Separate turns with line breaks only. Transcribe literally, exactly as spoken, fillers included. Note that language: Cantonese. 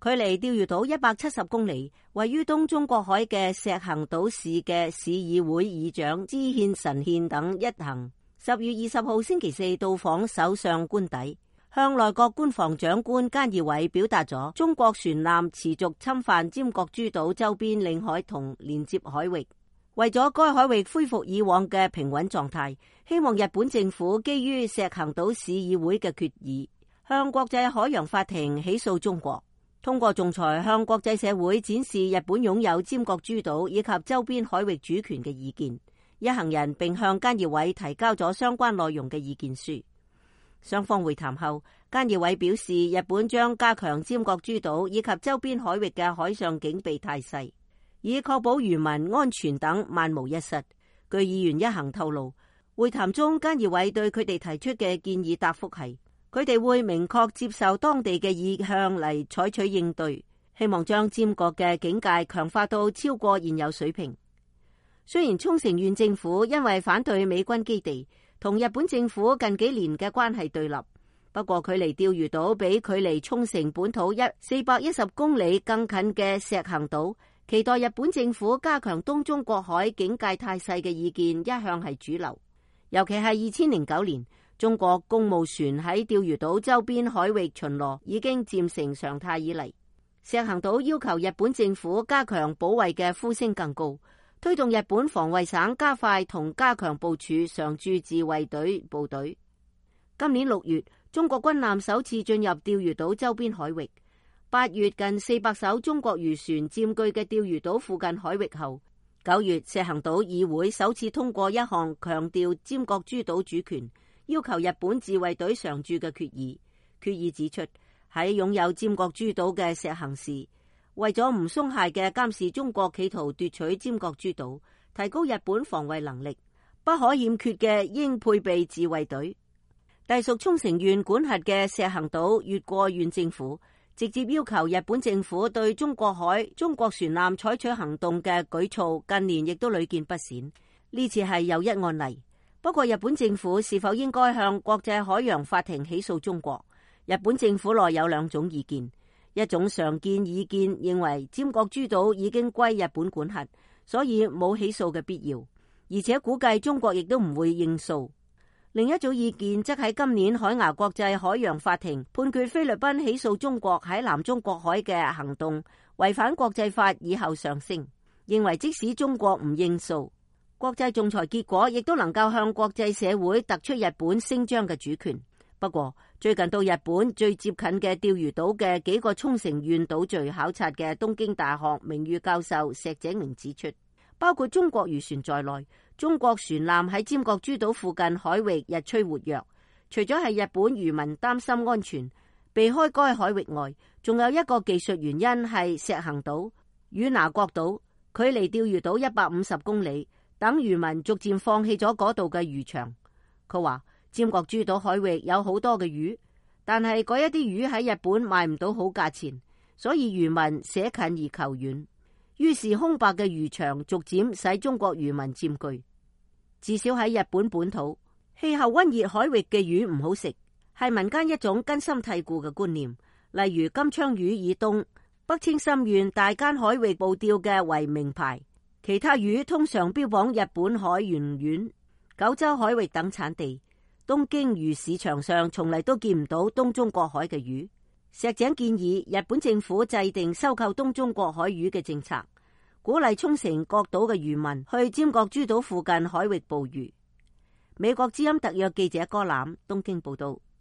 距離釣魚島一百七十公里，位於東中國海嘅石行島市嘅市議會議長知憲神憲等一行，十月二十號星期四到訪首相官邸，向內閣官房長官菅義偉表達咗中國船艦持續侵犯尖閣諸島周邊領海同連接海域，為咗該海域恢復以往嘅平穩狀態，希望日本政府基於石行島市議會嘅決議，向國際海洋法庭起訴中國，通過仲裁向國際社會展示日本擁有尖閣諸島以及周邊海域主權嘅意見。一行人並向菅義偉提交咗相關內容嘅意見書。雙方會談後，菅義偉表示，日本將加強尖閣諸島以及周邊海域嘅海上警備態勢，以確保漁民安全等萬無一失。據議員一行透露，會談中菅義偉對佢哋提出嘅建議答覆係，佢哋會明確接受當地嘅意向嚟採取應對，希望將尖閣嘅警戒強化到超過現有水平。雖然沖繩縣政府因為反對美軍基地，同日本政府近幾年嘅關係對立，不過距離釣魚島比距離沖繩本土一四百一十公里更近嘅石行島，期待日本政府加強東中國海警戒態勢嘅意見一向係主流。尤其係二千零九年，中國公務船喺釣魚島周邊海域巡邏已經漸成常態以嚟，石行島要求日本政府加強保衛嘅呼聲更高，推動日本防衛省加快同加強部署常駐自衛隊部隊。今年六月，中國軍艦首次進入釣魚島周邊海域。八月，近四百艘中國漁船佔據嘅釣魚島附近海域後，九月石行島議會首次通過一項強調尖閣諸島主權，要求日本自衛隊常駐嘅決議。決議指出，喺擁有尖閣諸島嘅石行市，為咗唔鬆懈嘅監視中國企圖奪取尖閣諸島，提高日本防衛能力，不可欠缺嘅應配備自衛隊。隸屬沖繩縣管轄嘅石行島越過縣政府，直接要求日本政府對中國海中國船艦採取行動嘅舉措，近年亦都屢見不鮮。呢次係又一案例。不過日本政府是否應該向國際海洋法庭起訴中國？日本政府內有兩種意見。一種常見意見認為尖閣諸島已經歸日本管轄，所以冇起訴嘅必要，而且估計中國亦都唔會應訴。另一種意見則喺今年海牙國際海洋法庭判決菲律賓起訴中國喺南中國海嘅行動違反國際法以後上升，認為即使中國唔應訴，國際仲裁結果亦都能夠向國際社會突出日本聲張嘅主權。不過最近到日本最接近嘅釣魚島嘅幾個沖繩縣島嶼考察嘅東京大學名譽教授石井明指出，包括中國漁船在內，中國船艦喺尖閣諸島附近海域日趨活躍。除咗係日本漁民擔心安全，避開該海域外，仲有一個技術原因係石行島與那國島距離釣魚島一百五十公里，等漁民逐漸放棄咗嗰度嘅漁場。佢話尖閣諸島海域有好多嘅魚，但係嗰一啲魚喺日本賣唔到好價錢，所以漁民捨近而求遠，於是空白嘅漁場逐漸使中國漁民佔據。至少喺日本本土，氣候溫熱海域嘅魚唔好食，係民間一種根深蒂固嘅觀念。例如金槍魚以東北青森縣大間海域捕釣嘅為名牌，其他魚通常標榜日本海員丸、九州海域等產地。東京魚市場上從嚟都見唔到東中國海嘅魚。石井建議日本政府制定收購東中國海魚嘅政策，鼓勵沖繩各島嘅漁民去尖閣諸島附近海域捕魚。美國之音特約記者柯欖東京報道。